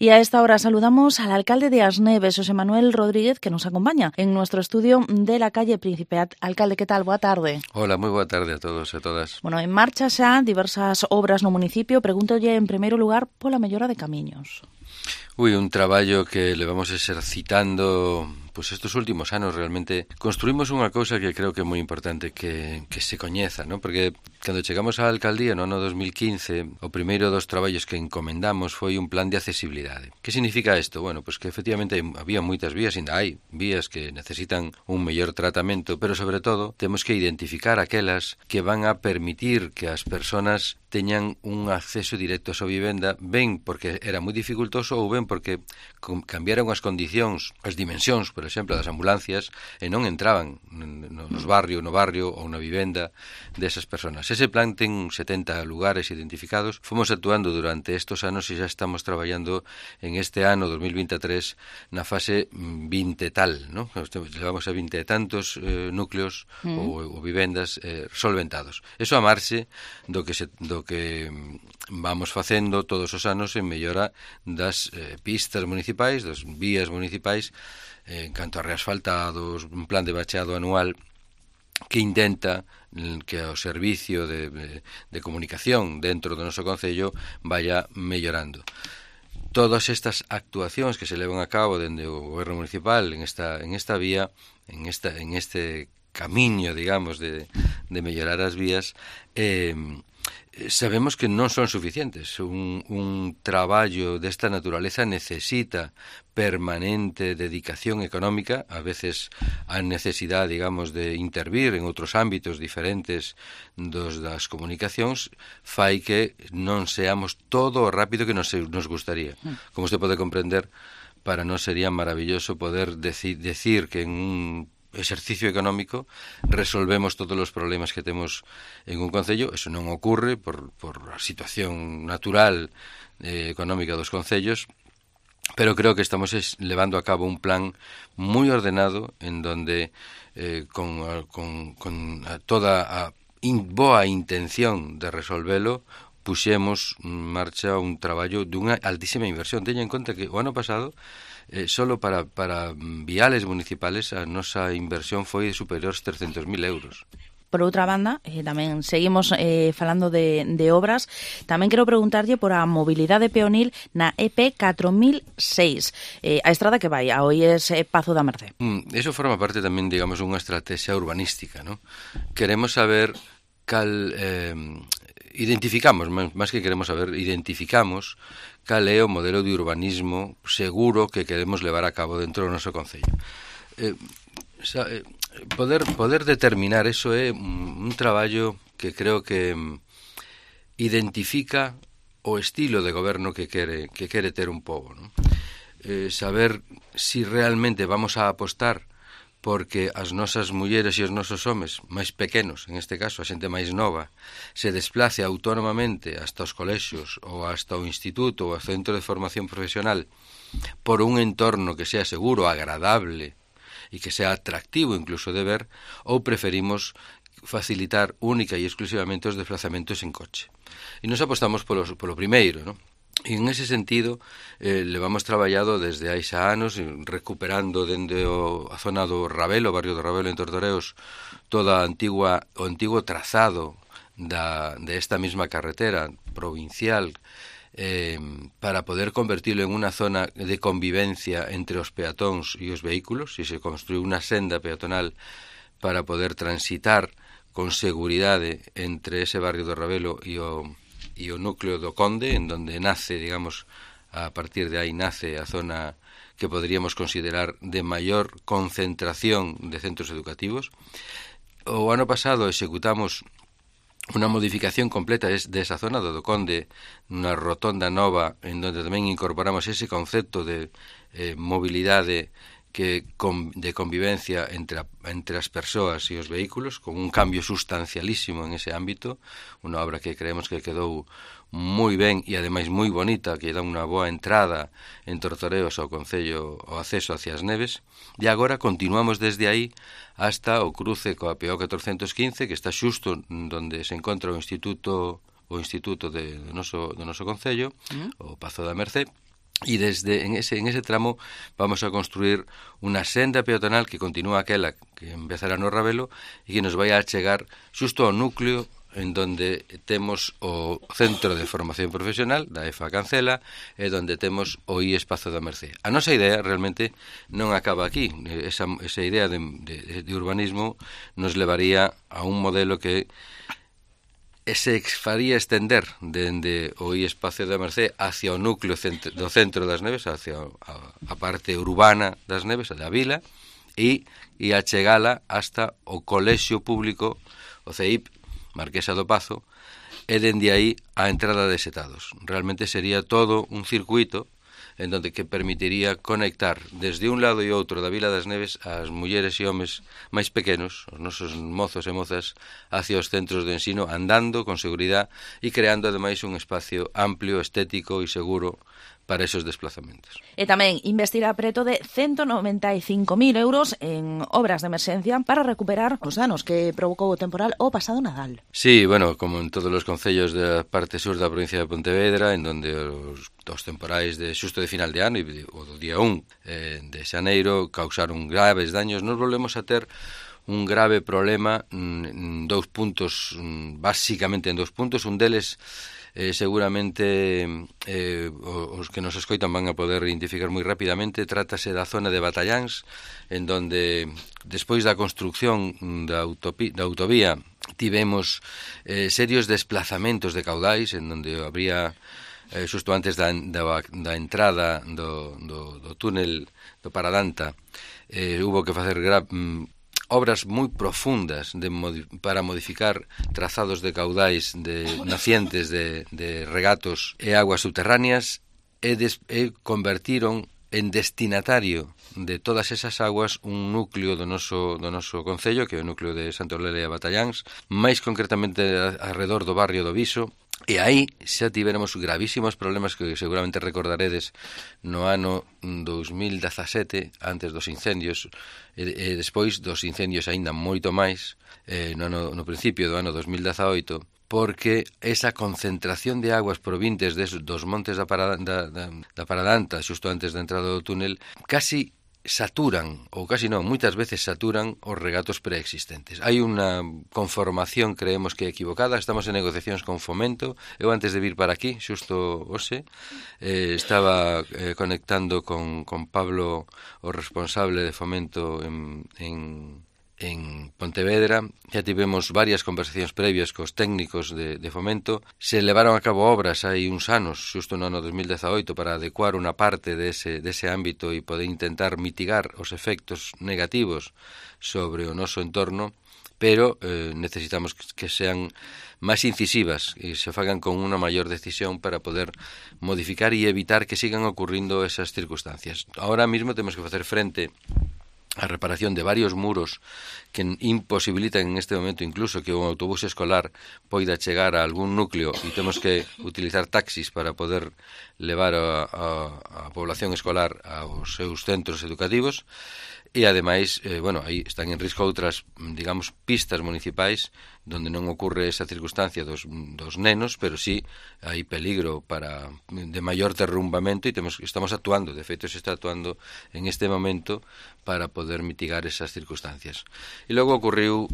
Y a esta hora saludamos al alcalde de As Neves, José Manuel Rodríguez, que nos acompaña en nuestro estudio de la calle Príncipe. Alcalde, que tal? Boa tarde. Hola, moi boa tarde a todos e todas. Bueno, en marcha xa diversas obras no municipio. Pregúntolle, en primeiro lugar, pola mellora de camiños. Un traballo que levamos exercitando estes últimos anos. Realmente construímos unha cousa que creo que é moi importante que se coñeza, ¿no? Porque cando chegamos á alcaldía no ano 2015, o primeiro dos traballos que encomendamos foi un plan de accesibilidade. Que significa isto? Bueno, que efectivamente había moitas vías, ainda hai vías que necesitan un mellor tratamento, pero sobre todo temos que identificar aquelas que van a permitir que as persoas teñan un acceso directo a súa vivenda, ben porque era moi dificultoso ou ben porque cambiaron as condicións, as dimensións, por exemplo, das ambulancias, e non entraban no barrio ou na vivenda desas persoas. Ese plan ten 70 lugares identificados. Fomos actuando durante estes anos e xa estamos traballando en este ano 2023 na fase 20 tal, ¿no? Levamos a 20 e tantos núcleos ou vivendas solventados. Eso a marxe do que vamos facendo todos os anos en mellora das pistas municipais, das vías municipais, en canto a reasfaltados, un plan de bacheado anual que intenta que o servicio de comunicación dentro do noso concello vaya mellorando. Todas estas actuacións que se levan a cabo dende o goberno municipal en esta vía, en este camiño, digamos, de mellorar as vías, sabemos que non son suficientes. Un traballo desta naturaleza necesita permanente dedicación económica. A veces a necesidade, digamos, de intervir en outros ámbitos diferentes das comunicacións fai que non seamos todo o rápido que nos gustaría. Como usted pode comprender, para nós sería maravilloso poder decir que en un exercicio económico resolvemos todos os problemas que temos en un concello. Eso non ocorre por a situación natural económica dos concellos, pero creo que estamos levando a cabo un plan moi ordenado en donde con toda a boa intención de resolvelo puxemos en marcha un traballo dunha altísima inversión. Teña en conta que o ano pasado solo para viales municipales a nosa inversión foi superior aos 300.000 euros. Por outra banda, tamén seguimos falando de obras. Tamén quero preguntarlle por a mobilidade peonil na EP 4006, a estrada que vai a Oies Pazo da Mercé. Eso forma parte tamén, digamos, unha estrategia urbanística, ¿no? Queremos saber identificamos cal é o modelo de urbanismo seguro que queremos levar a cabo dentro do noso concello. Poder determinar eso é un traballo que creo que identifica o estilo de goberno que quere ter un pobo, ¿no? Saber si realmente vamos a apostar porque as nosas mulleres e os nosos homes máis pequenos, en este caso a xente máis nova, se desplace autónomamente hasta os colexios ou hasta o instituto ou ao centro de formación profesional por un entorno que sea seguro, agradable e que sea atractivo incluso de ver, ou preferimos facilitar única e exclusivamente os desplazamentos en coche. E nos apostamos polo primeiro, ¿no? E en ese sentido levamos traballado desde hai xa anos recuperando dende a zona do Rabelo, o barrio do Rabelo en Tortoreos, toda o antigo trazado de esta mesma carretera provincial para poder convertirlo en unha zona de convivencia entre os peatóns e os vehículos, e se construiu unha senda peatonal para poder transitar con seguridade entre ese barrio do Rabelo e o núcleo do Conde, en donde nace, digamos, a partir de aí nace a zona que podríamos considerar de maior concentración de centros educativos. O ano pasado executamos unha modificación completa desa zona do Conde, unha rotonda nova, en donde tamén incorporamos ese concepto de mobilidade de convivencia entre as persoas e os vehículos, con un cambio sustancialísimo en ese ámbito, unha obra que creemos que quedou moi ben e ademais moi bonita, que dá unha boa entrada en Tortoreos ao concello, o acceso hacia as Neves, e agora continuamos desde aí hasta o cruce coa PO 415, que está xusto onde se encontra o instituto do noso concello, o Pazo da Mercé, y en ese tramo vamos a construir unha senda peatonal que continúa aquela que empezará no Ravelo e que nos vai a chegar xusto ao núcleo en donde temos o Centro de Formación Profesional da EFA Cancela e donde temos o IES Pazo da Mercé. A nosa idea realmente non acaba aquí. Esa idea de urbanismo nos levaría a un modelo que se faría estender dende o espacio da Mercé hacia o núcleo do centro das Neves, hacia a parte urbana das Neves, da vila, e a chegala hasta o colexio público, o CEIP, Marquesa do Pazo, e dende aí a entrada de Setados. Realmente sería todo un circuito en donde que permitiría conectar desde un lado e outro da Vila das Neves as mulleres e homes máis pequenos, os nosos mozos e mozas, hacia os centros de ensino, andando con seguridade e creando ademais un espacio amplio, estético e seguro para esos desplazamentos. E tamén investirá preto de 195.000 euros en obras de emerxencia para recuperar os danos que provocou o temporal o pasado Nadal. Sí, bueno, como en todos os concellos da parte sur da provincia de Pontevedra, en donde os temporais de xusto de final de ano o do día 1 de xaneiro causaron graves daños, nos volvemos a ter un grave problema en dous puntos, básicamente en dous puntos. Un deles seguramente os que nos escoitan van a poder identificar moi rapidamente. Trátase da zona de Batalláns, en donde despois da construcción da autovía tivemos serios desplazamentos de caudais, en donde habría xusto antes da entrada do túnel do Paradanta, hubo que facer obras moi profundas para modificar trazados de caudais de nacientes de regatos e aguas subterráneas e convertiron en destinatario de todas esas aguas un núcleo do noso concello, que é o núcleo de Santa Eulalia e Batalláns, máis concretamente alrededor do barrio do Viso. E aí xa tivéramos gravísimos problemas que seguramente recordaredes no ano 2017, antes dos incendios, e despois dos incendios aínda moito máis, no principio do ano 2018, porque esa concentración de aguas provintes dos montes da Paradanta, xusto antes da entrada do túnel, casi saturan, ou casi non, moitas veces saturan os regatos preexistentes. Hai unha conformación, creemos que equivocada, estamos en negociacións con Fomento. Eu antes de vir para aquí, xusto hoxe, estaba conectando con Pablo, o responsable de Fomento en Pontevedra. Ya tivemos varias conversacións previas cos técnicos de Fomento. Se levaron a cabo obras hai uns anos, xusto no ano 2018, para adecuar unha parte dese ámbito e poder intentar mitigar os efectos negativos sobre o noso entorno, pero necesitamos que sean máis incisivas e se fagan con unha maior decisión para poder modificar e evitar que sigan ocurrindo esas circunstancias. Ahora mismo temos que facer frente a reparación de varios muros que imposibilitan en este momento incluso que un autobús escolar poida chegar a algún núcleo e temos que utilizar taxis para poder levar a población escolar aos seus centros educativos. E ademais, aí están en risco outras, digamos, pistas municipais donde non ocorre esa circunstancia dos nenos, pero sí hai peligro de maior derrumbamento e estamos actuando, de feito se está actuando en este momento para poder mitigar esas circunstancias. E logo ocorriu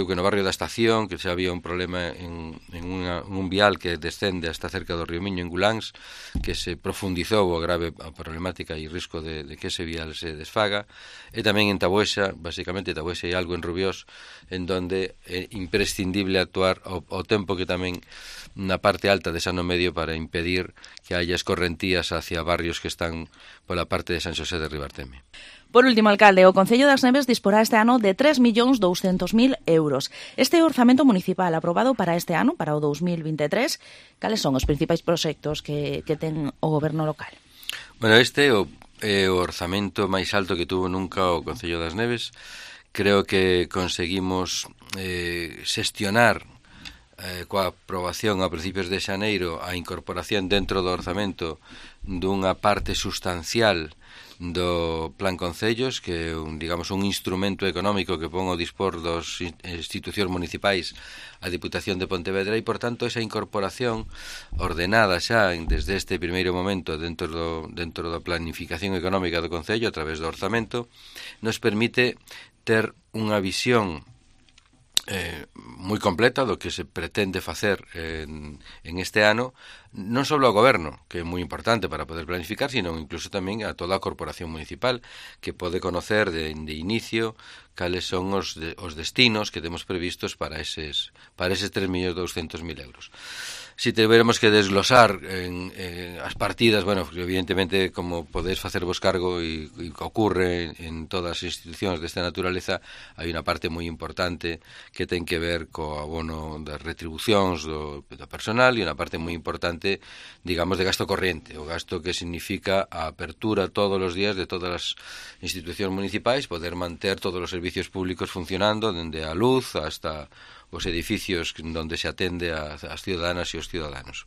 que no barrio da Estación, que xa había un problema en un vial que descende hasta cerca do río Miño, en Guláns, que se profundizou a grave problemática e risco de que ese vial se desfaga, e tamén en Tabuesa, basicamente Tabuesa e algo en Rubiós, en donde é imprescindible actuar ao tempo que tamén na parte alta de Sano Medio para impedir que haya escorrentías hacia barrios que están pola parte de San Xosé de Ribarteme. Por último, alcalde, o Concello das Neves disporá este ano de 3.200.000 euros. Este orzamento municipal aprobado para este ano, para o 2023, cales son os principais proxectos que ten o goberno local? Bueno, este é o orzamento máis alto que tuvo nunca o Concello das Neves. Creo que conseguimos xestionar coa aprobación a principios de xaneiro a incorporación dentro do orzamento dunha parte sustancial do Plan Concellos, que é un instrumento económico que pon ao dispor dos institucións municipais a Diputación de Pontevedra, e, por tanto, esa incorporación ordenada xa desde este primeiro momento dentro da planificación económica do Concello a través do orzamento nos permite ter unha visión moi completa do que se pretende facer en este ano, non só ao goberno, que é moi importante para poder planificar, sino incluso tamén a toda a corporación municipal, que pode conocer de inicio cales son os destinos que temos previstos para eses 3.200.000 euros. Si tiveremos que desglosar as partidas, bueno, evidentemente, como podedes facervos cargo e ocurre en todas as institucións desta naturaleza, hai unha parte moi importante que ten que ver co abono das retribucións do personal e unha parte moi importante, digamos, de gasto corriente, o gasto que significa a apertura todos os días de todas as institucións municipais, poder manter todos os servicios públicos funcionando, dende a luz hasta os edificios onde se atende ás ciudadanas e os ciudadanos.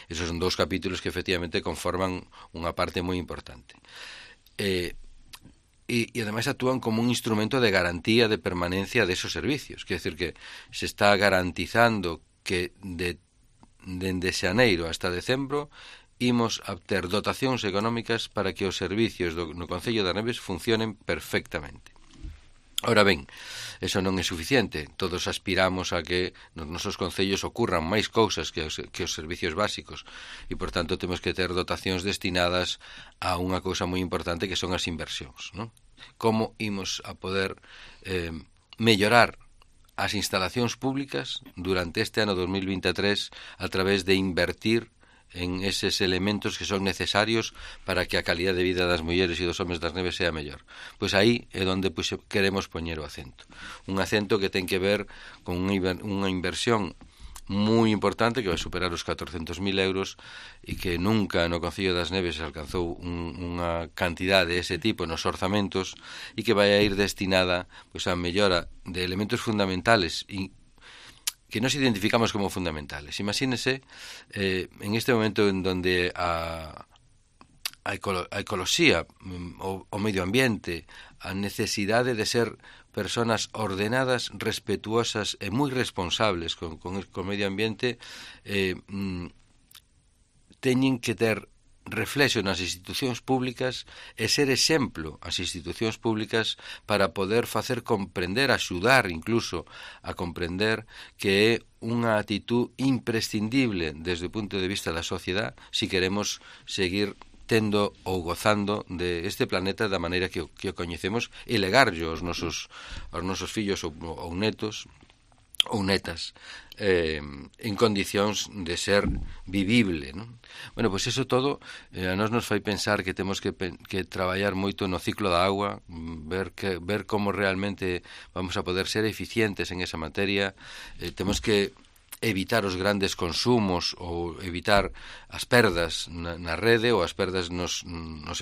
Esos son dous capítulos que efectivamente conforman unha parte moi importante. E ademais actúan como un instrumento de garantía de permanencia desos servicios. Quer decir que se está garantizando que dende xaneiro hasta decembro imos a ter dotacións económicas para que os servicios no Concello das Neves funcionen perfectamente. Ora ben, eso non é suficiente. Todos aspiramos a que nos nosos concellos ocurran máis cousas que os servicios básicos e, por tanto, temos que ter dotacións destinadas a unha cousa moi importante que son as inversións, non? Como imos a poder mellorar as instalacións públicas durante este ano 2023 a través de invertir en eses elementos que son necesarios para que a calidad de vida das mulleres e dos homes das neves sea mellor. Pois aí é onde queremos poñer o acento. Un acento que ten que ver con unha inversión moi importante que vai superar os 400.000 euros e que nunca no Concello das Neves alcanzou unha cantidad de ese tipo nos orzamentos e que vai a ir destinada pois a mellora de elementos fundamentales e que nos identificamos como fundamentales. Imagínese en este momento en donde a ecoloxía, o medio ambiente, a necesidade de ser personas ordenadas, respetuosas e moi responsables con o medio ambiente, teñen que ter reflexo nas institucións públicas e ser exemplo as institucións públicas para poder facer comprender, axudar incluso a comprender que é unha actitud imprescindible desde o punto de vista da sociedade si queremos seguir tendo ou gozando de este planeta da maneira que o coñecemos e legarlo aos nosos fillos ou netos ou netas en condicións de ser vivible, non? Bueno, pois eso todo a nos fai pensar que temos que traballar moito no ciclo da agua, ver como realmente vamos a poder ser eficientes en esa materia. Temos que evitar os grandes consumos ou evitar as perdas na rede ou as perdas nos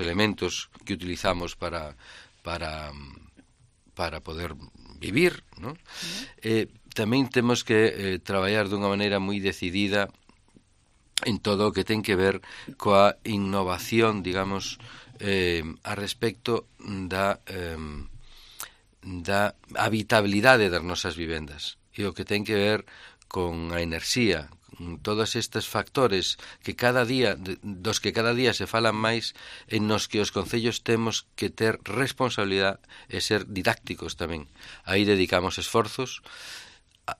elementos que utilizamos para poder vivir, non? Tamén temos que traballar dunha maneira moi decidida en todo o que ten que ver coa innovación, digamos, a respecto da habitabilidade das nosas vivendas e o que ten que ver con a enerxía, todos estes factores que dos que cada día se falan máis, en nos que os concellos temos que ter responsabilidade e ser didácticos tamén. Aí dedicamos esforzos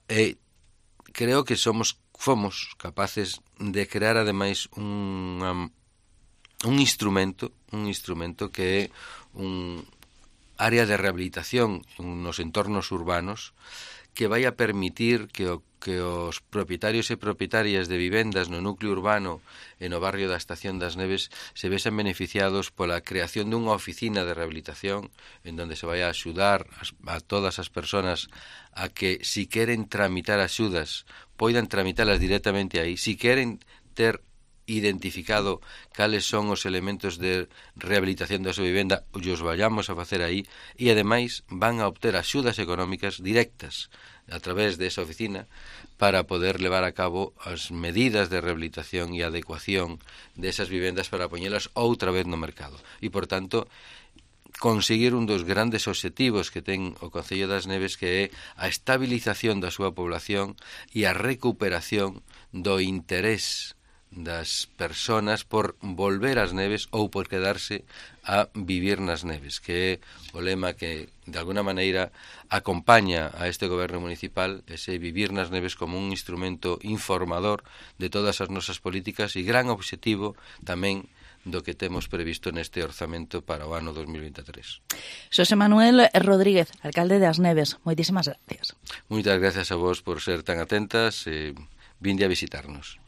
e creo que fomos capaces de crear ademais un instrumento que é un área de rehabilitación nos entornos urbanos que vai a permitir que os propietarios e propietarias de vivendas no núcleo urbano e no barrio da Estación das Neves se vexan beneficiados pola creación dunha oficina de rehabilitación en donde se vai a axudar a todas as persoas a que, si queren tramitar axudas, poidan tramitalas directamente aí, si queren ter identificado cales son os elementos de rehabilitación da súa vivenda, os vayamos a facer aí e, ademais, van a obter axudas económicas directas a través de esa oficina para poder levar a cabo as medidas de rehabilitación e adecuación desas vivendas para poñelas outra vez no mercado. E, por tanto, conseguir un dos grandes obxectivos que ten o Concello das Neves, que é a estabilización da súa población e a recuperación do interés das persoas por volver ás neves ou por quedarse a vivir nas neves, que é o lema que, de alguna maneira, acompaña a este goberno municipal, ese vivir nas neves como un instrumento informador de todas as nosas políticas e gran obxectivo tamén do que temos previsto neste orzamento para o ano 2023. Xosé Manuel Rodríguez, alcalde das Neves, moitísimas gracias. Moitas gracias a vos por ser tan atentas e vinde a visitarnos.